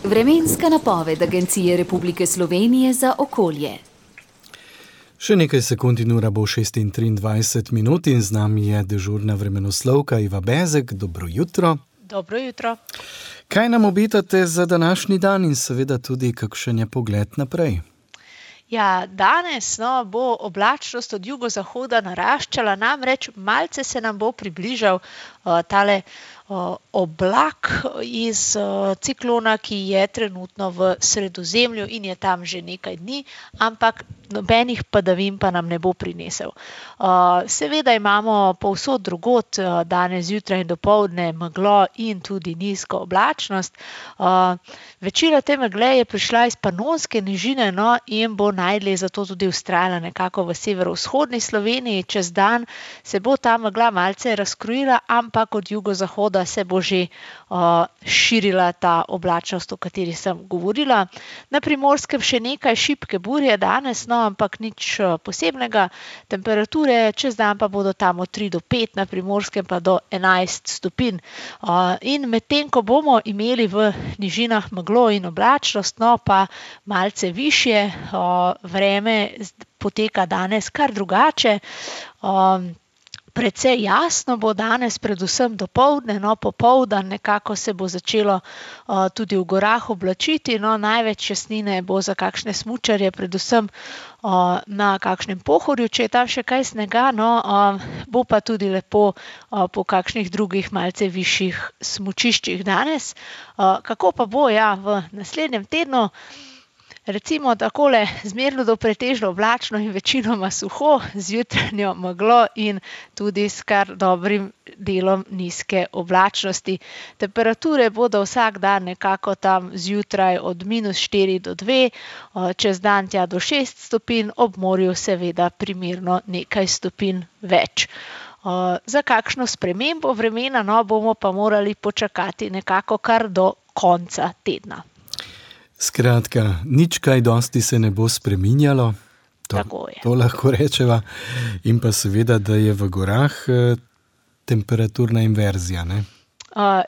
Vremenska napoved Agencije Republike Slovenije za okolje. Še nekaj sekund in ura bo 6:23 in z nami je dežurna vremenoslovka Iva Bezek. Dobro jutro. Dobro jutro. Kaj nam obetate za današnji dan in seveda tudi kakšen je pogled naprej? Ja, danes bo oblačnost od jugozahoda naraščala, namreč malce se nam bo približal tale oblak iz ciklona, ki je trenutno v Sredozemlju in je tam že nekaj dni, ampak nobenih padavin pa nam ne bo prinesel. Seveda imamo povsod drugod danes zjutraj in dopoldne meglo in tudi nizko oblačnost. Večina te megle je prišla iz Panonske nižine in bo najdlje zato tudi vztrajala nekako v severovzhodni Sloveniji. Čez dan se bo ta megla malce razkrojila, ampak od jugozahoda se bo že širila ta oblačnost, o kateri sem govorila. Na Primorskem še nekaj šibke burje danes, ampak nič posebnega. Temperature čez dan pa bodo tam od 3 do 5, na Primorskem pa do 11 stopinj. In medtem, ko bomo imeli v nižinah meglo in oblačnost, pa malce višje, vreme poteka danes kar drugače. Precej jasno bo danes, predvsem dopoldne, popoldan nekako se bo začelo tudi v gorah oblačiti, največ jasnine bo za kakšne smučarje, predvsem na kakšnem Pohorju, če je tam še kaj snega, bo pa tudi lepo po kakšnih drugih malce višjih smučiščih danes. Kako pa bo v naslednjem tednu? Recimo takole zmerno do pretežno oblačno in večinoma suho, z jutranjo meglo in tudi s kar dobrim delom nizke oblačnosti. Temperature bodo vsak dan nekako tam zjutraj od -4 do 2, čez dan tja do 6 stopinj, ob morju seveda primerno nekaj stopinj več. Za kakšno spremembo vremena bomo pa morali počakati nekako kar do konca tedna. Skratka, nič kaj dosti se ne bo spreminjalo, to lahko rečeva, in pa seveda, da je v gorah temperaturna inverzija, ne?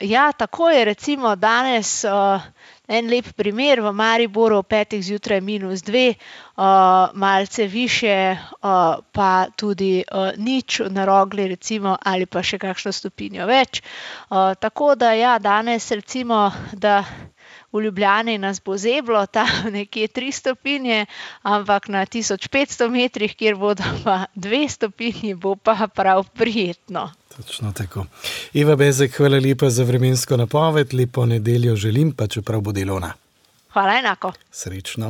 Ja, tako je, recimo danes en lep primer v Mariboru, ob 5 zjutraj -2, malce višje pa tudi nič na Rogli recimo, ali pa še kakšno stopinjo več. Tako da danes recimo, da v Ljubljani nas bo zeblo, tam nekje 3 stopinje, ampak na 1500 metrih, kjer bodo pa 2 stopinji, bo pa prav prijetno. Točno tako. Iva Bezek, hvala lepa za vremensko napoved, lepo nedeljo želim, pa čeprav bo delovna. Hvala enako. Srečno.